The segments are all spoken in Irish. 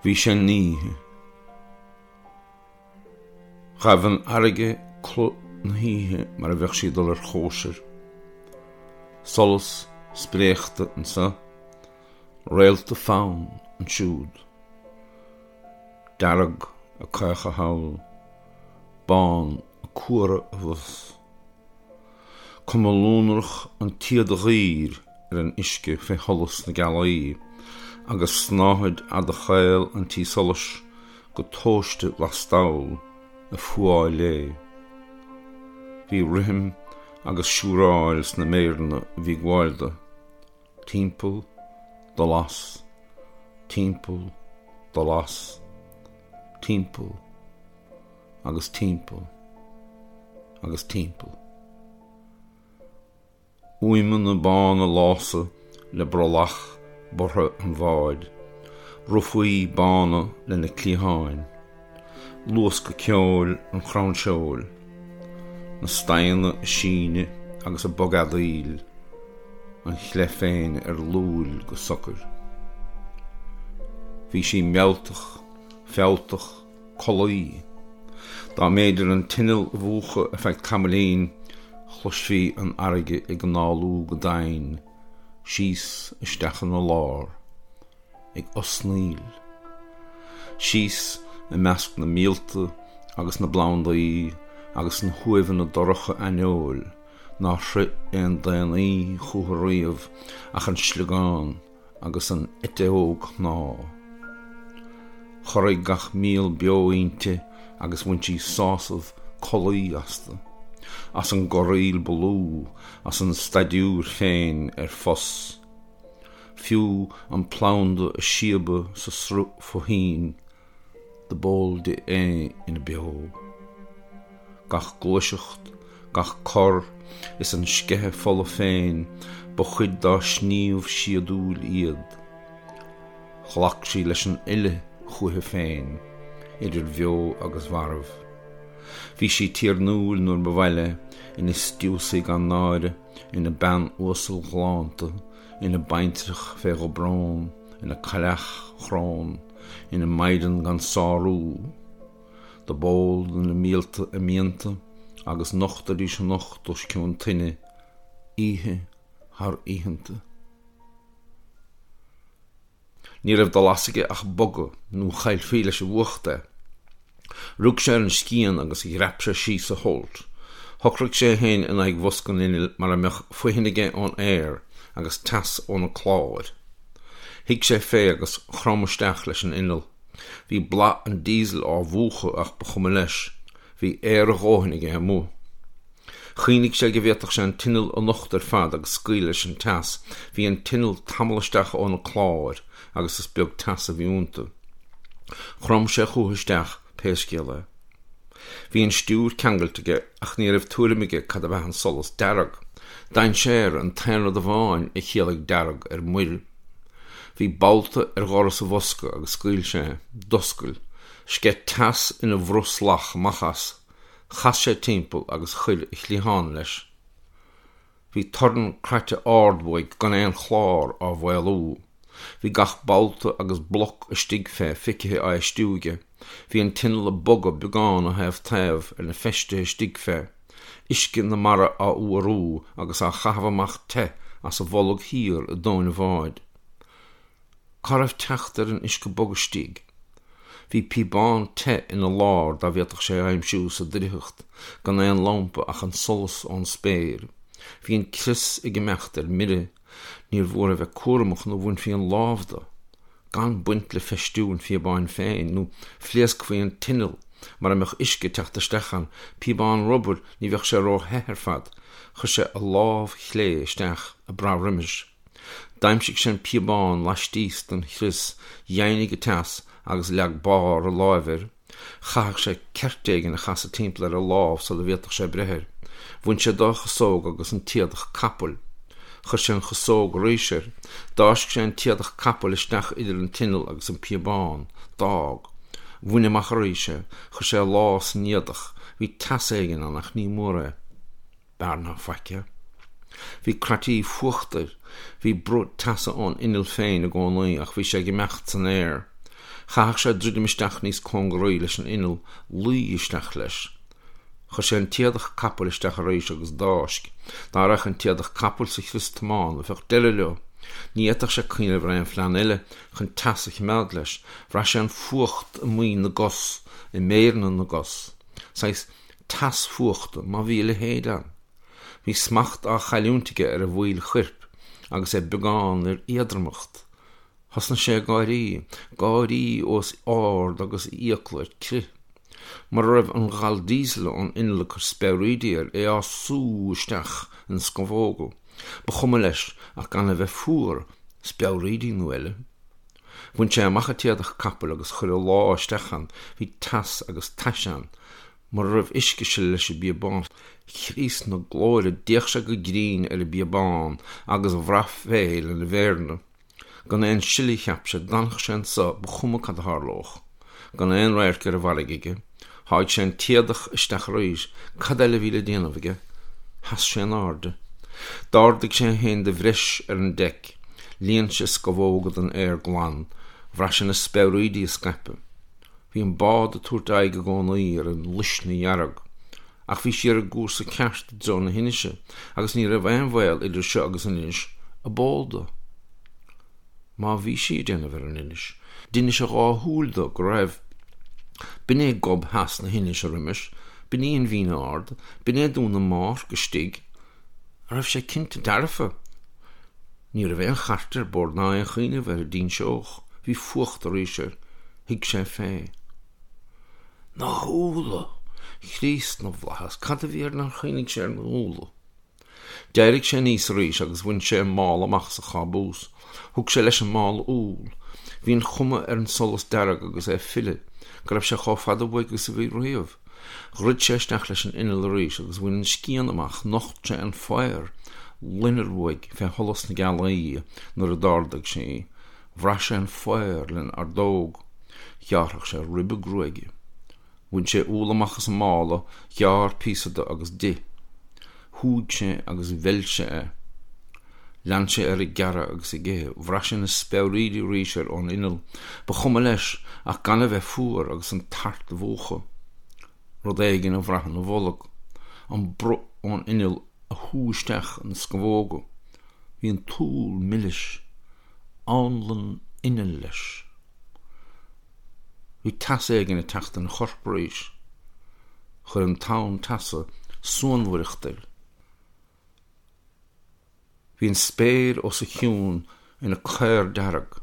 Bhí sé in oíche. Ghabh an fharraige clu na hoíche mar a bheadh sí ag dul ar chóisir. Solas spréachta anso, réalta fann ansiúd. Dearg ag caochadh thall, bán ag cuaradh abhus. Cuma lonrach an tsíoda dhaoir ar an uisce fé sholas na gealaí, agus snáthaid fhada chaol an tí solais go tomhaiste lastall ag fuáil léi. Bhí rithim agus siúráil sna méireanna a bhí ag gabháil di, timpeall, dul as, timpeall, dul as, timpeall. agus timpeall agus timpeall. Úimeanna bána lása le brollach borrtha an bháid, rufaí bána lena cliatháin, luascadh ceoil an chrann seoil, na staghanna ag síneadh agus ag bogfheadaíl, an chleith féin ar luail go socair. Bhí sí mealltach, fealltach, collaí. Dá mb'fhéidir an t-inneall a mhúchadh ar feadh tamaillín, chloisfí an fharraige ag análú go domhain síos isteach ina lár, ag osnaíl. Síos i measc na míolta agus na bplandaí agus na huaimheanna dorcha aineoil nár shroich aon daonnaí chúthu riamh ach an sliogán agus an eiteog shnámha. Chorraigh gach míol beo inti agus bhain sí sásamh collaí astu, as an gcorraíl ba lú, as an staidiúir féin ar fos. Fiú an planda a síobadh sa sruth fo-thoinn, do b'eol di é ina beo. Gach gluaiseacht, gach cor, is an sceitheadh fola féin, ba chuid dá sníomh síodúil iad. Ghlac sí leis an uile chúichi féin, idir bheo agus mharbh. Bhí sí tiarnúil nuair ba mhaith léi, ina stiúsaí gan náire, ina bean uasal ghalánta, ina baintreach fé dhubrón, ina cailleach chrón, ina maighdean gan sárú. Do b'eol do na míolta a mianta agus nochtaidís anocht os cionn tine, oíche thar oícheanta. Ní raibh de bhlas aige ach bogadh nó chaillfí leis an bhfuacht é. Rug sé ar an scian agus dhreap sé síos a holt. Shocraigh sé é féin in aghaidh bhosca an innill mar a mbeadh fothain aige ón aer agus teas ó na cláir. Shuigh sé fé agus chrom isteach leis an inneall. Bhí boladh an diesel á mhúchadh ach ba chuma leis, bhí aer a dhóthain aige amuigh. Chuimhnigh sé go bhféadfadh sé an t-inneall a nochtadh ar fad agus scaoileadh leis an teas. Bhí an t-inneall tamall isteach ó na cláir agus is beag teas a bhí iontu. Chrom sé chucu isteach pé scéal é. Bhí an stiúir ceangailte aige ach ní raibh tuairim aige cad ab ea an solas dearg. Dainséar an t-aon rud amháin a chiallaigh dearg ar muir. Bhí babhta ar dhoras an bhosca agus scaoil sé é. D'oscail. Sceith teas ina bhreostlach amach as. Chas sé timpeall agus chuir a chliathán leis. Bhí torann craite ard uaidh gan aon chlár á mhaolú. Bhí gach babhta agus bloc istigh fé feicthe á fheistiú aige. Bhí an t-inneall ag bogadh beagán ó thaobh taobh ar na feistithe istigh fé, uisce na mara á fhuarú agus á chaitheamh amach te as a bholg thiar i dtóin an bháid. Cá raibh teacht ar an uisce bog istigh? Bhí píobán te ina lár dá bhféadfadh sé é a aimsiú sa drithiocht, gan aon lampa ach an solas ón spéir. Bhí an crios ag imeacht ar mire, níor mhór a bheith cúramach nó bhainfí an lámh de, gan baint le feistiú an phíobáin féin, nó phléascfaí an t-inneall mara mbeadh uisce ag teacht isteach ann, píobán rubair, ní bheadh sé ró-the ar fad. Chuir sé a lámh chlé isteach, ag brath roimis. D'aimsigh sé an píobán laistíos den chrios, dheimhnigh an teas agus leag barr a láimhe air. Chaithfeadh sé ceirt éigin a chasadh timpeall ar a lámh sula bhféadfadh sé breith air. Bhain sé dá chasóg agus an t-éadach capaill. Chuir sé an chasóg arís air. D'fháisc sé an t-éadach capaill isteach idir an t-inneall agus an píobán. D'fhág. Bhain amach arís é. Chuir sé a lámh san éadach. Bhí teas éigin ann ach ní mór é. B'fhearr ná faic é. Bhí croití fuachta air. Bhí bruth teasa ón inneall féin i gcónaí ach bhí sé ag imeacht san aer. Chaithfeadh sé druidim isteach níos cóngaraí leis an inneall, luí isteach leis. Chuir sé an t-éadach capaill isteach arís agus d'fháisc. Dá raghadh an t-éadach capaill sa chrios tiomána, bheadh deireadh leo. Ní fhéadfadh sé cuimhneamh ar aon phlean eile chun teas a choimeád leis. Bhraith sé an fuacht i muin na gcos, i méireanna na gcos. Saghas teas fuachta, má bhí a leithéid ann. Bhí smacht á chailliúint aige ar a bhaill choirp agus é beagán ar éadromacht. Thosnaigh sé ag gáirí, gáirí os ard agus a fhiacla ar crith. Mura raibh an ghal díosail ón inneall ag cur speabhraídí air, é á sú isteach ina scamhóga. Ba chuma leis ach gan a bheith fuar, speabhraídí nó eile. Bhain sé amach an t-éadach capaill agus chuir a lámh isteach ann. Bhí teas agus tais ann. Mura raibh uisce ag sileadh leis an bpíobán, Chríost na glóire, d'fhéach sé go grinn ar an bpíobán agus bhraith fé lena mhéireanna. Gan aon sileadh, cheap sé, d'fhanfadh sé anso, ba chuma cad a tharlódh. Gan aon radharc ar an bhfarraige aige. Sháigh sé an t-éadach isteach arís. Cad eile a bhí le déanamh aige? Sheas sé in airde. D'ardaigh sé é féin de bhreis ar an deic. Líon sé a scamhóga den aer glan. Bhraith sé na speabhraídí ag scaipeadh. Bhí an bád ag tabhairt aghaidh i gcónaí ar an luisne dhearg. Ach bhí sí ar an gcúrsa ceart i dtreo na hinise, agus ní raibh aon bhaol idir seo agus an inis ab eol dó. Má bhí sí ag déanamh ar an inis, d'inis a dhá shúil dó go raibh. B'in é gob theas na hinise roimis, b'in í an Bhinn Ard, b'in é Dún na mBárc istigh. An raibh sé cinnte dearfa? Ní raibh aon chairt ar bord ná aon chuimhneamh air a d'inseodh. Bhí fuacht arís air. Shuigh sé fé. Na húlla! Chríost na bhFlaitheas, cad a bhí air nár chuimhnigh sé ar na húlla? D'éirigh sé aníos arís agus bhain sé an mála amach as a chábús. Thug sé leis an mála úll. Bhí an chuma ar an solas dearg agus é ag filleadh go raibh sé chomh fada uaidh agus a bhí riamh. Dhruid sé isteach leis an inneall arís agus bhain an scian amach, nocht sé an faobhar loinnir uaidh fé sholas na gealaí nuair a d'ardaigh sé í. Bhraith sé an faobhar lena ordóg. Ghearrfadh sé ribe gruaige. Bhain sé úll amach as an mála, ghearr píosa de agus d'ith. Shúigh sé agus mheil sé é. Lean sé air ag gearradh agus ag ithe. Bhraith sé na speabhraídí arís air ón inneall. Ba chuma leis ach gan a bheith fuar agus an tart a mhúchadh. Rud éigin a bhraith ina bholg. An bruth ón inneall a shú isteach ina scamhóga. Bhí an t-úll milis. Anlann innill leis. Bhí teas éigin ag teacht ina chorp arís. Chuir an tonn teasa suanmhaireacht air. Bhí an spéir os a chionn ina caor dearg.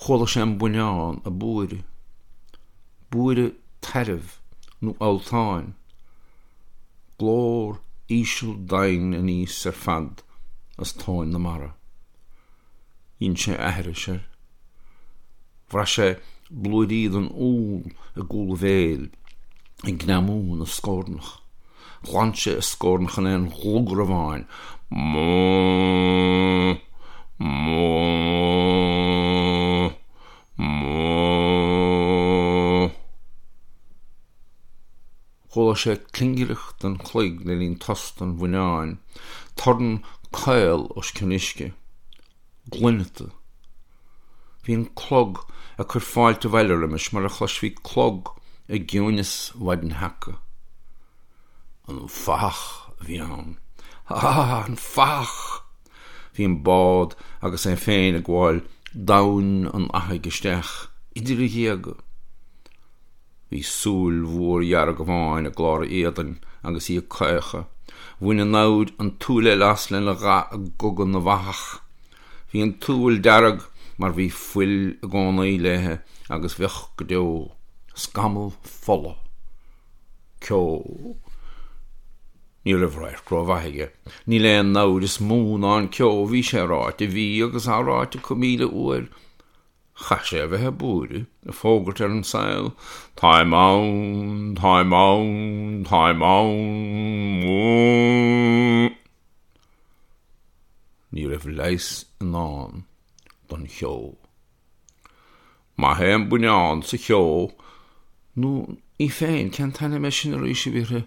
Chuala sé an buinneán ag búireadh. Búireadh tairbh nó alltáin. Glór íseal doimhin aníos ar fad as tóin na mara. Dhein sé aithris air. Bhraith sé blúirí den úll i gcúl a bhéil ag greamú ina scornach. Ghlan sé a scornach in aon ghlugar amháin. Mó! Mó! Mó! Chuala sé clingireacht an chloig le linn tost an bhuinneáin, torann caol os cionn uisce. Gloineata. Bhí an clog ag cur fáilte abhaile roimis mar a chloisfí clog i gciúineas mhaidin sheaca. An fathach a bhí ann. Ah, an fathach! Bhí an bád agus é féin ag gabháil domhain an fhathaigh isteach idir a ghéaga. Bhí súil mhór dhearg amháin i gclár a éadain agus í ag caochadh. Bhain an namhaid an tsúil eile as lena gha i gcogadh na bhfathach. Bhí an tsúil dearg mar bhí fuil i gcónaí léi agus bheadh go deo. Scamall fola. Ceo. Ní raibh radharc rómhaith aige. Níl aon namhaid is mó ná an ceo, bhí sé ráite, bhí agus á ráite acu míle uair. Chaith sé a bheith ag búireadh, ag fógairt ar an saol, Táim ann, táim ann, táim ann, mó! Ní raibh leigheas i ndán don cheo. Maith é an buinneán sa cheo, nó í féin, cén t-ainm é sin arís a bhí uirthi?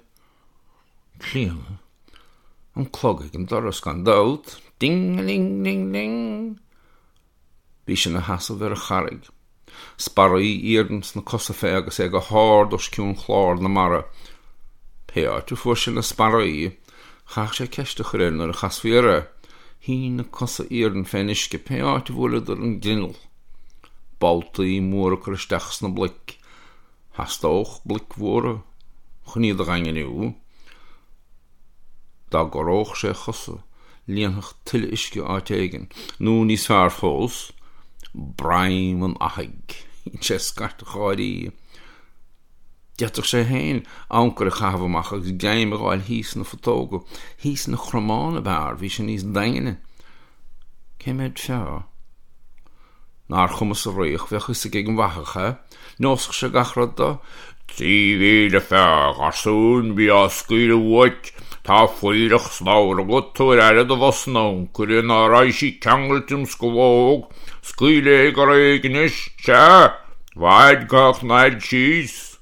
Clíona. An clog ag an doras, gan dabht. Ding-a-ling-ling-ling! Bhí sé ina sheasamh ar an charraig. Sparraí iarainn sna cosa fé agus é go hard os cionn chlár na mara. Pé áit a fuair sé na sparraí, chaithfeadh sé ceist a chur air nuair a chasfaí air é. Shín na cosa iarainn fén uisce pé áit a bhuaileadar an grinneall. Boltaí móra ag cur isteach sna bloic. Theastódh bloic mhóra chun iad a dhaingniú. Dá gcorródh sé a chosa, líonfadh tuile uisce áit éigin, nó níos fearr fós, broim an fhathaigh. Dhein sé scairt gháirí. D'fhéadfadh sé féin ancaire a chaitheamh amach agus greim a dh'fháil thíos sna putóga. Thíos ina chromán ab fhearr, bhí sé níos daingne. Cé mhéad feá? Nár chuma sa fhraoch, bheadh fhios ag an bhfathach é. Neosfadh sé gach rud dó. 3,000 feá, a gharsúin, bí á scaoileadh uait, tá fuílleach slabhra agat, tabhair aire do bhos an ancaire ná raghaidh sí ceangailte im scamhóg, scaoil é go réidh anois, sea, bhaid gach naid síos.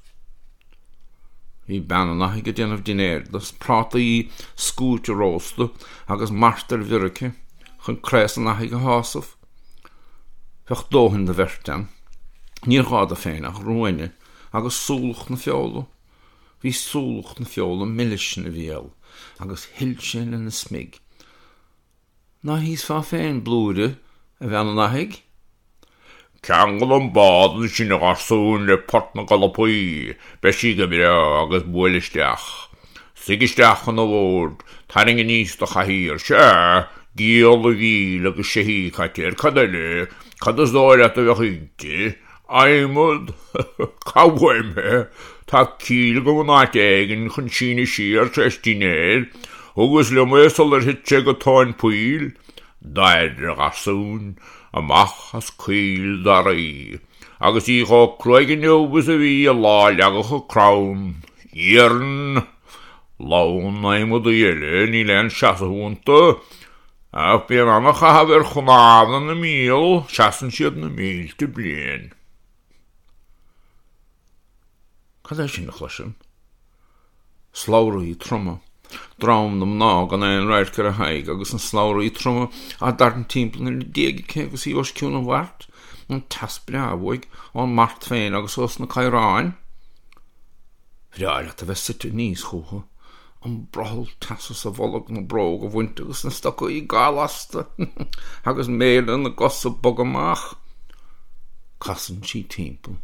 Bhí bean an fhathaigh ag déanamh dinnéir de, prátaí scúite rósta agus mart ar bhior aici chun craos an fhathaigh a shásamh. Bheadh dóthain do bheirt ann. Níor ghá dó féin ach ruainne agus súlach na feola. Bhí súlach na feola milis ina bhéal agus shil sé lena smig. Ná híosfá féin blúire, a bhean an fhathaigh? Ceangail an bád ansin, a gharsúin, le Port na gColpaí, beidh sí go breá, agus buail isteach. Suigh isteach chun an bhoird, tarraing aníos do chathaoir, sea, gialla mhíl agus seithí caite air, cad eile, cad is dóigh leat a bheadh inti? Adhmad? Cá uaim é? Tá cíl agam in áit éigin chun síneadh siar tar éis dinnéir, thugas liom é sular thit sé go tóin poill. Dair, a gharsúin, amach as coill daraí, agus í chomh cruaidh inniu is a bhí an lá a leagadh an crann. Iarann! Lón adhmadaí eile, níl aon seasamh iontu, ach bíonn ana-chaitheamh ar chnámha na míol, seasann siad na mílte bliain. Cad é sin a chloisim? Slabhraí troma. Drom na mná gan aon radharc ar a haghaidh agus na slabhraí troma á dtarraingt timpeall ina diaidh aici agus í os cionn an mhairt, an teas breá uaidh, ón mart féin agus ós na caoráin. Bhreá leat a bheith suite aníos chúthu, an brothall teasa sa bholg, na bróga a bhaint agus na stocaí gal-lasta agus méara na gcos ag bogadh amach. Casann sí timpeall.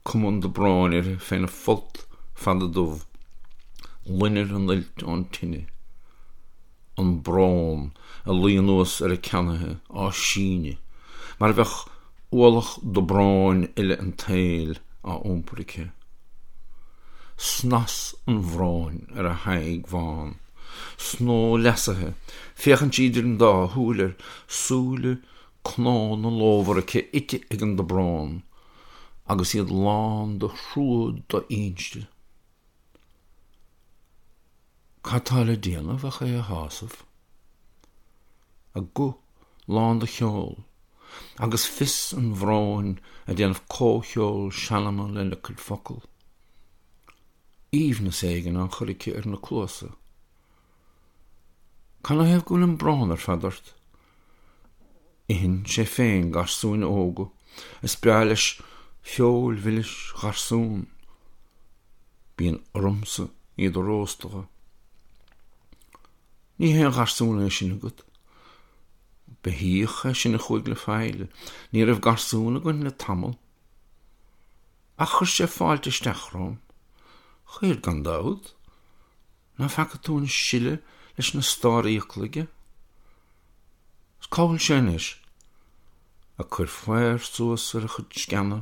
Cuma an dobróin uirthi féna folt fada dubh, loinnir an fhuilt ón tine, an brón ag luí anuas ar a ceannaithe á síneadh mar a bheadh ualach dobróin uile an tsaoil á iompar aici. Snas an bhróin ar a haghaidh bhán, snó leasaithe, féachann sí idir an dá shúil air, súile Cnónna lómhara aici ite ag an dobrón agus iad lán de thrua do-inste. Cad tá le déanamh ach é a shásamh? A guth lán de cheol agus fios an bhróin ag déanamh comhcheol seanama lena cuid focal. Aoibhneas éigin á chur aici ar na cluasa. Canathaobh go bhfuil an brón ar fad ort? Itheann sé féin garsúin óga. Is breá leis feoil mhilis gharsún. Bíonn ormsa iad a róstadh. Ní haon gharsún é sin agat. Beithíoch é sin a chuaigh le faill. Ní raibh garsún againn le tamall. Ach chuir sé fáilte isteach romham. Chuir, gan dabht. Ná feaca tú an sileadh leis na starrfhiacla aige? 'S cá bhfuil sé anois? Ag cur faobhair suas ar a chuid sceana.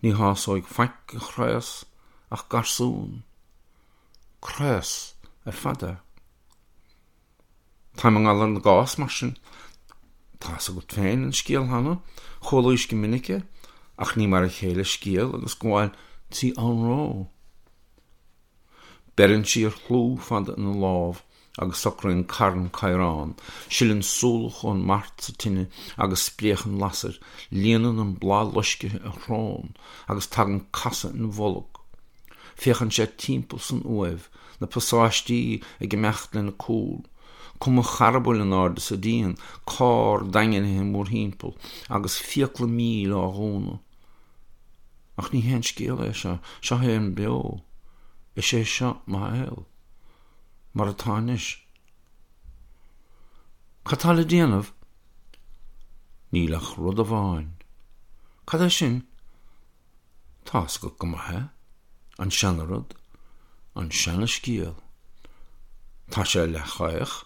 Ní shásóidh faic a chraos ach garsún. Craos ar fad é. Táim i ngalar na gcás mar sin. Tá's agat féin an scéal cheana, chualaís go minic é, ach ní mar a chéile scéal agus gabháil trí anró. Beireann sí ar chlú fada ina lámh agus socraíonn carn caorán, sileann súlach ón mart sa tine agus spréachann lasair, líonann an bláth loiscthe a shrón agus tagann casadh ina bholg. Féachann sé timpeall san uaimh, na pasáistí ag imeacht lena cúl. Cuma charbaill in airde sa díon, carr daingnithe mórthimpeall, agus fiacla míl á dhúnadh. Ach ní haon scéal é seo, seo é an beo. Is é seo mo shaol. Mar atá anois. Cad tá le déanamh? Níl ach rud amháin. Cad é sin? Tá's agat go maith é. An seana-rud. An seana-scéal. Tá sé leathchaoch.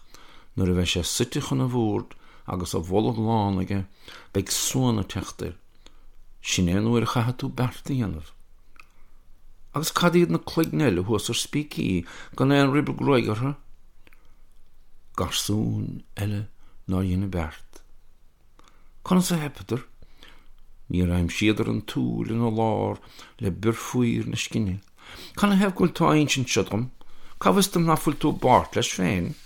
Nuair a bheidh sé suite chun an bhoird agus a bholg lán aige, beidh suan ag teacht air. Sin é an uair a chaithfidh tú beart a dhéanamh. Agus cad iad na cloigne eile thuas ar spící gan aon ribe gruaige orthu? Garsúin eile nár dhein a beart. Conas a theipeadar? Níor aimsíodar an tsúil ina lár le bior faobhair na scine. Canathaobh go bhfuil tú á insint seo dom? Cá bhfios dom ná fuil tú i bpáirt leis féin?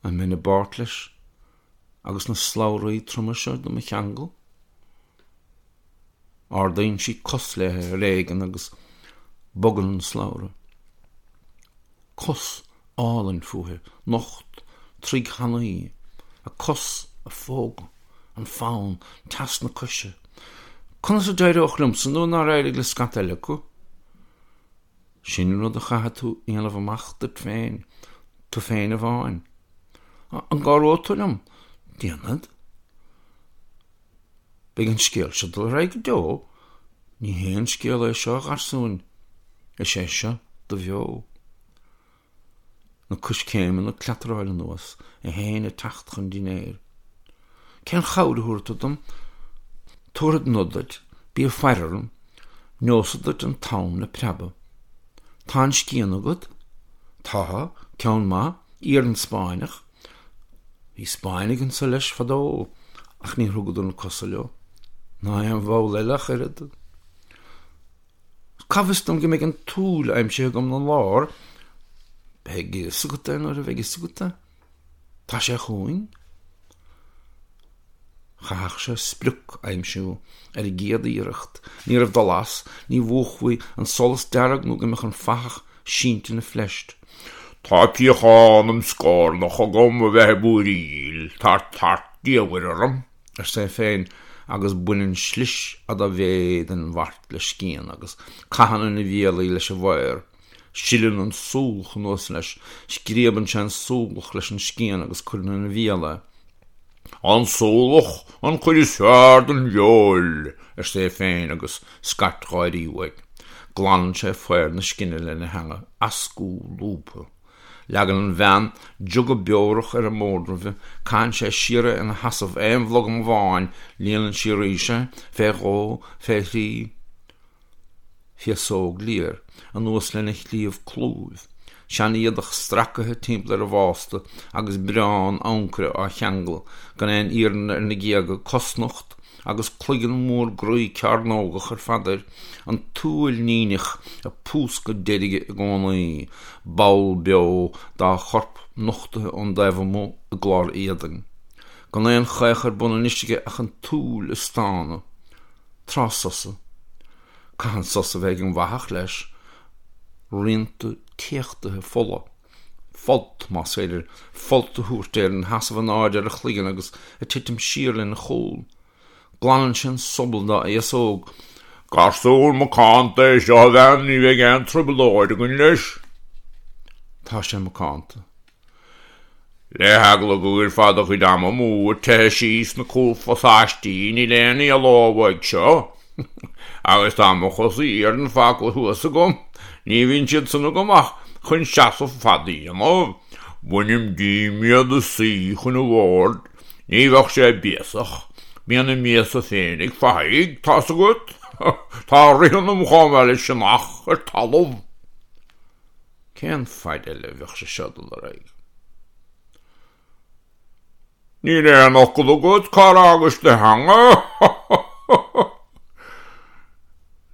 An mbeinn i bpáirt leis agus na slabhraí troma seo do mo cheangal? Ardaíonn sí cos léi ar éigean agus bogann an slabhra. Cos álainn fúithi, nocht, troigh thanaí, a cos a phógadh, an fonn, teas na coise. Conas a d'éireodh liomsa nuair nár éirigh le scata eile acu? Sin rud a chaithfidh tú a dhéanamh amach duit féin, tú féin amháin. An gcabhróidh tú liom? Déanfad. Beidh an scéal seo ag dul ar aghaidh go deo. Ní haon scéal é seo, a gharsúin. Is é seo do bheo. Na coiscéimeanna ag cleataráil anuas, é féin ag teacht chun dinnéir. Cén chabhair a thabharfaidh tú dom? Tabharfad nod duit, bí ag faire orm, neosad duit an t-am le preabadh. Tá an scian agat? Tá, ceann maith, iarann Spáinneach. Bhí Spáinnigh anso leis fadó ach níor thugadar na cosa leo, ná aon bhall eile ach oiread. Cá bhfios dom go mbeidh an tsúil aimsithe agam 'na lár? Beidh a fhios agat é nuair a bheidh a fhios agat é. Tá sé chugainn. Chaithfeadh sé sprioc a aimsiú ar an gcéad iarracht. Ní raibh dul as, ní mhúchfaí an solas dearg nó go mbeadh an fathach sínte ina phleist. Tá piachán im scornach agam a bheith ag búiríl, tá tart diamhair orm. arsa é féin agus baineann slis fhada mhéith den mhart le scian agus caitheann ina bhéal í leis an bhfaor. Sileann an súlach anuas leis, scríobann sé an súlach leis an scian agus cuireann ina bhéal é. An súlach an chuid is fearr den bhfeoil, arsa é féin agus scairt gháirí uaidh. Glanann sé faobhar na scine lena theanga, eascú lúbtha. Leagann an bhean jug beorach ar an mbord roimhe, caitheann sé siar é ina sheasamh aon bhlogam amháin, líonann sí arís é, fé dhó, fé thrí. Féasóg liath air, anuas lena chliabh clúimh, sean-éadach stracaithe timpeall ar a bhásta agus biorán ancaire á cheangal, gan aon iarann ar na géaga, cosnocht agus cloigeann mór groí cearnógach ar fad air, an tsúil níneach ag púscadh deirge i gcónaí, ball beo dá chorp nochtaithe ón dtaobh amuigh i gclár éadain. Gan aon chaoch ar bun anois aige ach an tsúil ag stánadh. Tráth sosa. Caitheann sos a bheith ag an bhfathach, leis. Rianta téachtaithe fola. Folt, más féidir folt a thabhairt air, ina sheasamh in airde ar a chloigeann agus ag titim siar lena chúl. Glanann sé an sobal dá fhéasóg. Garsún macánta é seo, a bhean, ní bheidh aon trioblóid againn leis. Tá sé macánta. Le heagla go gcuirfeá do chuid ama amú ag teitheadh síos na cúlphasáistí níl aon éaló uaidh seo. Agus tá mo chosa iarainn fágtha thuas agam, ní bhíonn siad san agam ach chun seasamh fada a dhéanamh. Bainim díom iad ag suí chun an bhoird, ní bheadh sé béasach, bíonn a mbéasa féin ag fathaigh, tá's agat. Tá rith ionam chomh maith le sionnach ar talamh. Cén faid eile a bheadh sé seo ag dul ar aghaidh? Níl aon fhocal agat, cár fhágais do theanga?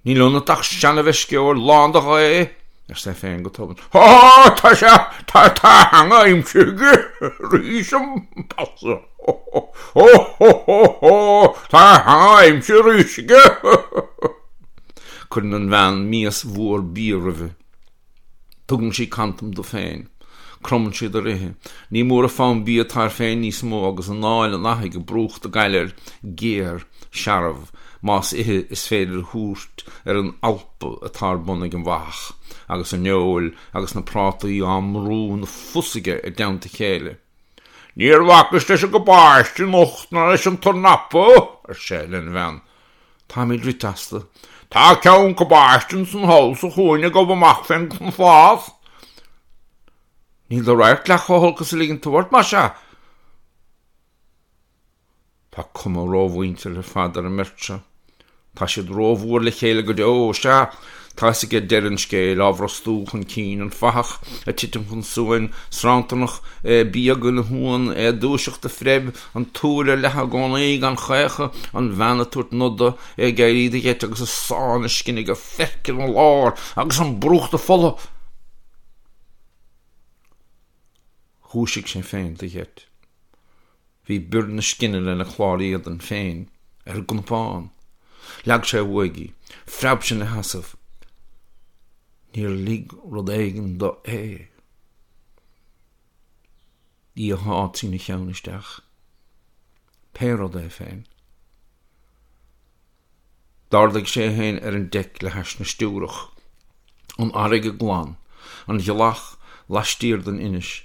Níl ionat ach seana-mheisceoir lán de ghaoth, arsa é féin go tobann. Há, tá sé, tá, tá a theanga aimsithe aige arís, ambaiste. Hó, hó, hó, hó, tá a theanga aimsithe arís aige. Cuireann an bhean mias mhór bia roimhe. Tugann sí cantam di féin. Cromann siad ar ithe. Ní mór a fonn bia atá air féin níos mó agus anáil an fhathaigh ag brúchtadh gaile air, géar, searbh, más ithe is féidir a thabhairt ar an alpadh atá ar bun ag an bhfathach, agus an fheoil agus na prátaí á mbrú ina phus aige i dteannta a chéile. Níor bhacas leis an gcabáiste anocht ná leis an tornapa, ar sé lena bhean. Táimid rite astu. Tá ceann cabáiste ansan thall sa chúinne ag gabh amach fén phlás. Níl do radharc leath chomh holc is a ligeann tú ort, más ea. Tá cuma rómhuinteartha ar fad ar an mbeirt seo. Tá siad rómhór le chéile go deo. Sea, tá fhios aige deireadh an scéil, á bhrostú chun cinn, an fathach ag titim chun suain, sranntarnach bíog ina shuan, é ag dúiseacht de phreib, an tsúil ar leathadh i gcónaí, gan chaochadh, an bhean ag tabhairt noda, é ag éirí de gheit agus ag sá na scine go feirc ina lár agus an brúchtadh fola. Dhúisigh sé féin de gheit. Bhí bior na scine lena chlár éadain féin ar an gcnapán. Leag sé uaidh í. Phreab sé ina sheasamh. Níor lig rud éigin do é. Í a shá trína cheann isteach. Pé rud é féin. D'ardaigh sé é féin ar an deic le hais na stiúrach. An fharraige glan. An ghealach laistiar den inis.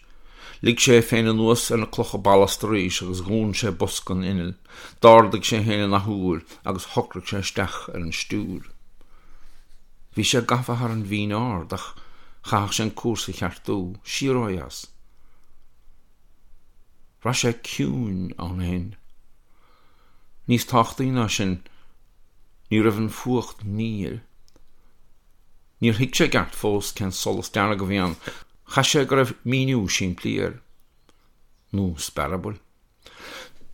Lig sé é féin anuas ar na clocha ballasta arís agus dhún sé bosca an innill. D'ardaigh sé é féin an athuair agus shocraigh sé isteach ar an stiúir. Bhí sé gafa thar an bhinn ard ach chaithfeadh sé an cúrsa a cheartú, siar ó dheas. Bhraith sé ciúin ann féin. Níos tábhachtaí ná sin, ní raibh an fuacht mír. Níor thuig sé i gceart fós cén solas dearg a bhí ann. Chaith sé go raibh míniú simplí air. Nó spearabaill.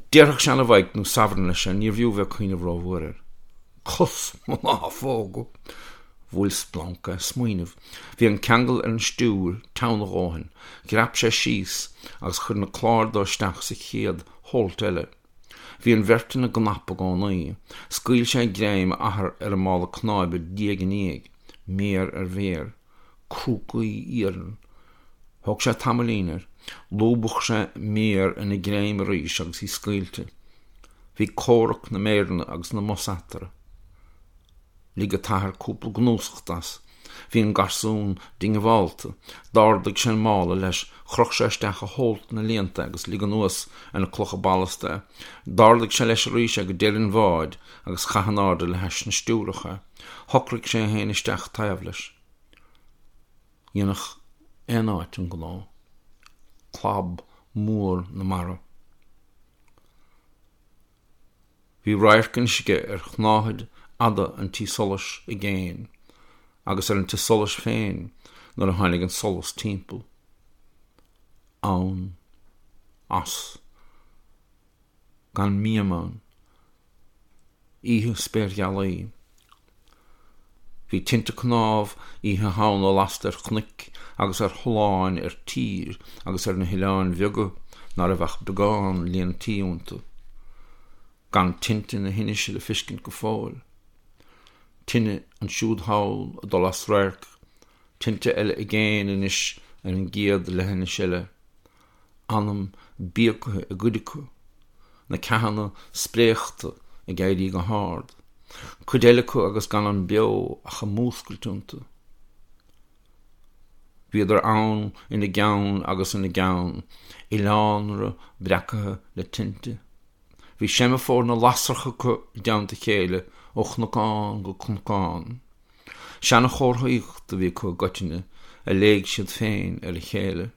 Déarfadh seana-Mhaidhc nó Sabhran leis é, níorbh fhiú bheith ag cuimhneamh rómhór air. Cos mo láfóga! Bhuail splanc é. Smaoineamh. Bhí an ceangal ar an stiúir teann a dhóthain. Dhreap sé síos agus chuir na cláir dó isteach sa chéad holt eile. Bhí an bheirt ina gcnap i gcónaí. Scaoil sé greim a athar ar an mála cnáibe diaidh ar ndiaidh, méar ar mhéar. Crúcaí iarainn. Thóg sé tamaillín air. Lúbadh sé méar ina greim arís agus í scaoilte. Bhí comhrac na méireanna agus na mbos eatarthu. Lig an t-athair cúpla gnúsacht as. Bhí an garsún diongbhálta. D'ardaigh sé an mála leis, chroch sé isteach i holt na líonta é agus lig anuas ar na clocha ballasta é. D'ardaigh sé leis arís é go deireadh an bháid agus chaith in airde le hais na stiúrach é. Shocraigh sé é féin isteach taobh leis. Dhéanfadh aon áit an gnó. Clab mór na mara. Bhí radharc anois aige ar shnáthaid fhada an tí solais i gcéin, agus ar an tigh solais féin nuair a tháinig an solas timpeall. Ann. As. Gan miam ann. Oíche spéirghealaí. Bhí tinte cnámh Oíche Shamhna lasta ar chnoic agus ar tholláin ar tír agus ar na hoileáin bheaga ná raibh ach beagán líon tí iontu. Gan tinte na hInise le fiscint go fóill. Tine ansiúd thall ag dul as radharc, tinte eile i gcéin anois ar an gcéad leithinis eile. Anam bíogaithe i gcuid acu, na ceathanna spréachta ag éirí go hard, cuid eile acu agus gan an beo ach ag múscailt iontu. Bhíodar ann ina gceann agus ina gceann, oileánra breacaithe le tinte. Bhí seimeafór na lasrach acu i dteannta a chéile ó chnocán go cnocán. Seanchomharthaíocht a bhí acu i gcoitinne a léigh siad féin ar a chéile.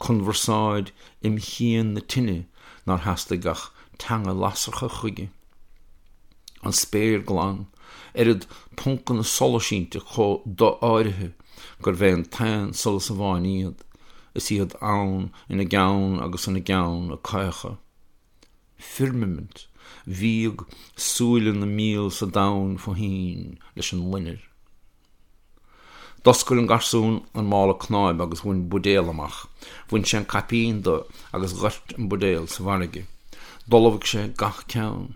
Conbharsáid im chian na tine nár theastaigh ach teanga lasracha chuige. An spéir glan, oiread poncanna solais inti chomh do-áirithe gurbh é an t-aon solas amháin iad, is iad ann ina gceann agus ina gceann ag caochadh. Firmimint bhíog súile na míol sa domhan fo thoinn leis an loinnir. D'oscail an garsún an mála cnáibe agus bhain buidéal amach. Bhain sé an caipín de agus dhoirt an buidéal sa bhfarraige. D'ullmhaigh sé gach ceann.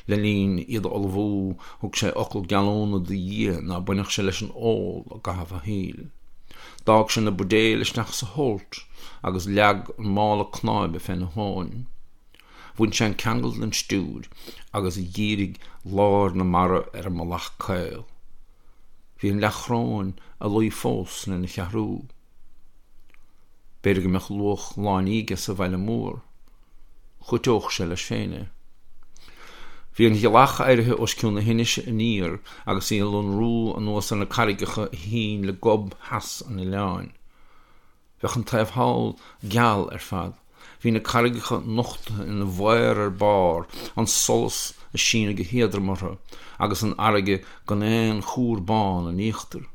Le linn iad a ullmhú, thug sé fhocal geallúna do Dhia ná bainfeadh sé leis an ól i gcaitheamh a shaoil. D'fhág sé na buidéil isteach sa holt agus leag an mála cnáibe féna thóin. Bhain sé an ceangal den stiúir agus dhírigh lár na mara ar an mbealach caol. Bhí an leathchoróin ag luí fós lena cheathrú. B'fhéidir go mbeadh luach láinní aige sa bhaile mór. Chúiteodh sé leis féin é. Bhí an ghealach éirithe os cionn na hinise aniar agus í ag lonrú anuas ar na carraigeacha a shín le gob theas an oileáin. Bheadh an taobh thall geal ar fad. Bhí na carraigeacha nochtaithe ina bhfaobhar ar barr, an solas ag síneadh go héadrom orthu, agus an fharraige gan aon chúr bán in íochtar.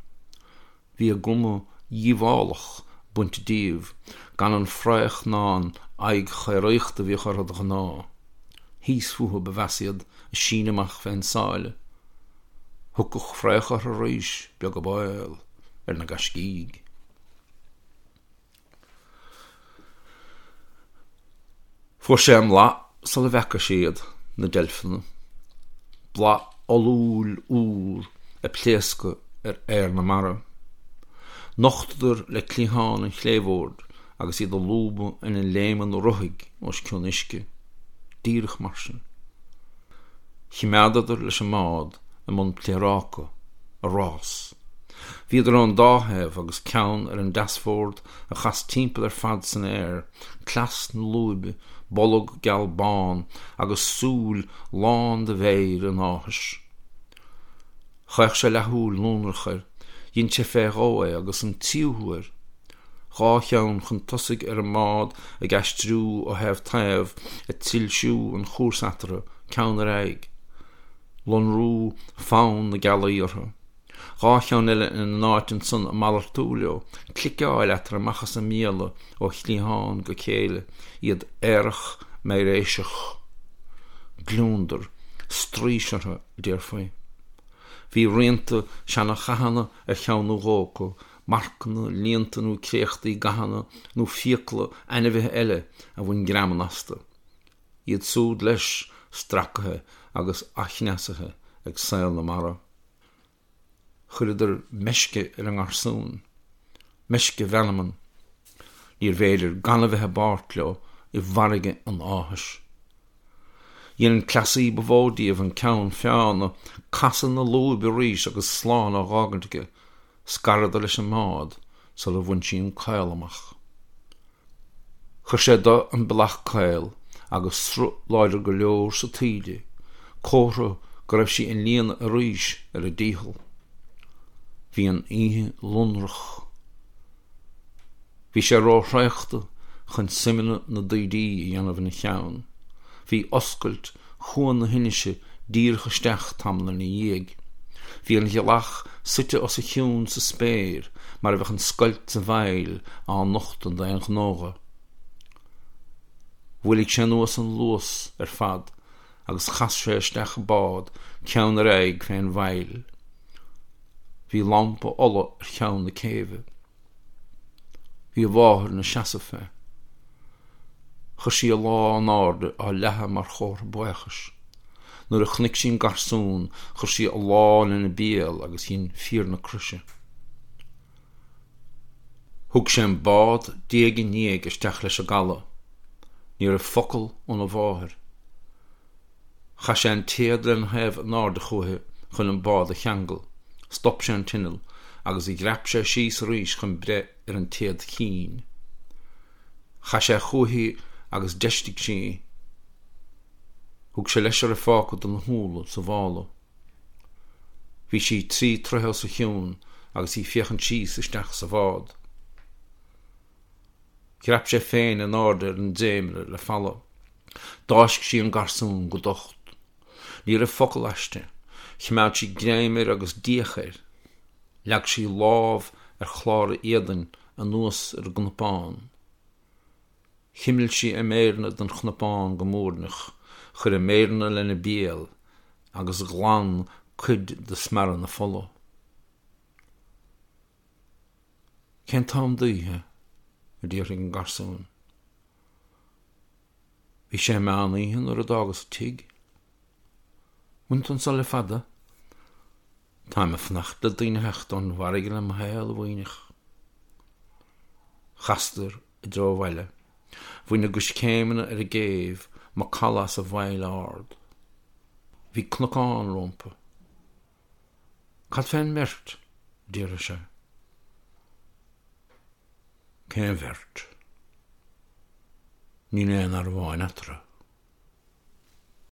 Bhí a gcuma dhíobhálach bainte díobh, gan an fraoch ná an aghaidh chaoraíochta a bhíodh orthu de ghnáth. Thíos fúthu ba mheasa iad ag síneadh amach fén sáile. Thiocfadh fraoch orthu arís, beag an baol, ar na gaiscígh. Fuair sé an mblath sula bhfeaca sé iad, na deilfeanna. Blath olúil úr ag pléascadh ar aer na mara. Nochtadar le cliathán an chlébhoird agus iad ag lúbadh ina léimeanna ruthaig os cionn uisce. Díreach mar sin. Chimeádadar leis an mbád i mbun pléaráca, a rás. Bhíodar ón dá thaobh agus ceann ar an deasbhord a chas timpeall ar fad san aer, cleas na lúibe, bolg geal bán agus súil lán de mhéir an áthais. Chaoch sé leathshúil lonrach air, dhein sé fé dhó é agus an tríú huair. 2 cheann chun tosaigh ar an mbád ag aistriú ó thaobh taobh, ag trilsiú an chúrsa eatarthu, ceann ar aghaidh. Lonrú fann na gealaí orthu. 2 cheann eile ina n-áit ansan ag malartú leo, cliceáil eatarthu amach as a mbéala ó chliathán go chéile, iad aerach meidhréiseach. Gliondar, straois orthu, a déarfaí. Bhí rianta seana-chathanna ar cheann nó dhó acu, marcanna, líonta nó créachtaí gathanna nó fiacla ainmhithe eile a bhain greamán astu. Iad súd, leis, stracaithe agus athchneasaithe ag saol na mara. Chuireadar meisce ar an ngarsún. Meisce mheanman. Níorbh fhéidir gan a bheith i bpáirt leo i bhfarraige an áthais. Dhein an cleasaí ba mhó díobh an ceann feadhna, casadh na lúibe arís agus slán á dh'fhágaint aige. Scaradar leis an mbád sula bhain sí an caol amach. Chuir sé de an bealach caol agus sruth láidir go leor sa taoide, comhartha go raibh sí ag líonadh arís ar a dícheall. Bhí an oíche lonrach. Bhí sé róthraochta chun suimeanna na dtaoidí a dhéanamh ina cheann. Bhí oscailt chuan na hInise díreach isteach tamall ina dhiaidh. Bhí an ghealach suite os a chionn sa spéir mar a bheadh an scoilt sa bhfaill á nochtadh d'aon ghnó dho. Mhoilligh sé anuas an luas ar fad agus chas sé isteach an bád ceann ar aghaidh fén bhfaill. Bhí lampa ola ar cheann na céibhe. Bhí a mháthair ina seasamh fé. Chuir sí a lámh in airde á leathadh mar chomhartha buíochais. Nuair a chonaic sí an garsún chuir sí a lámh lena béal agus dhein fíor na croise. Thug sé an bád diaidh i ndiaidh isteach leis an gcaladh. Ní raibh focal óna mháthair. Chaith sé an téad lena thaobh in airde chúichi chun an bád a cheangal, stop sé an t-inneall agus dhreap sé síos arís chun breith ar an téad chinn. Chaith sé chúichi agus d'fheistigh sí í. Thug sé leis a raibh fágtha de na húlla sa mhála. Bhí sí 3 troithe os a chionn agus í féachaint síos isteach sa bhád. Dhreap sé féin in airde ar an dréimire le falla. D'fháisc sí an garsún go docht. Ní raibh focal aisti. Choimeád sí greim air agus d'fhéach air. Leag sí lámh ar chlár a éadain anuas ar an gcnapán. Chuimil sí a méireanna den chnapán go muirneach, chuir a méireanna lena béal agus ghlan cuid de smearadh na fola. Cén t-am d'oíche? a d'fhiafraigh an garsún. Bhí sé meán oíche nuair a d'fhágas an tigh. Bhfuil tú anso le fada? Táim ag fanacht le daoine a theacht ón bhfarraige le mo shaol, a mhaoineach. Chasadar i dtreo an bhaile. Bhain a gcoiscéimeanna ar an gcéibh macalla as an bhfaill ard. Bhí cnocán rompu. Cad fén mbeirt? a d'fhiafraigh sé. Cén bheirt? Níl aon fhear amháin eatarthu.